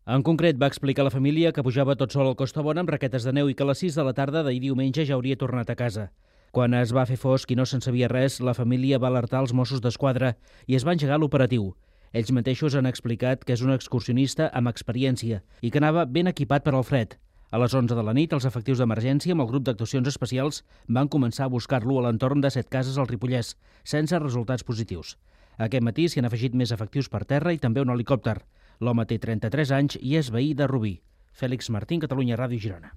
En concret, va explicar a la família que pujava tot sol al Costabona amb raquetes de neu i que a les 6 de la tarda d'ahir diumenge ja hauria tornat a casa. Quan es va fer fosc i no se'n sabia res, la família va alertar els Mossos d'Esquadra i es va engegar l'operatiu. Ells mateixos han explicat que és un excursionista amb experiència i que anava ben equipat per al fred. A les 11 de la nit, els efectius d'emergència amb el grup d'actuacions especials van començar a buscar-lo a l'entorn de 7 cases al Ripollès, sense resultats positius. Aquest matí s'hi han afegit més efectius per terra i també un helicòpter. L'home té 33 anys i és veí de Rubí. Fèlix Martín, Catalunya Ràdio, Girona.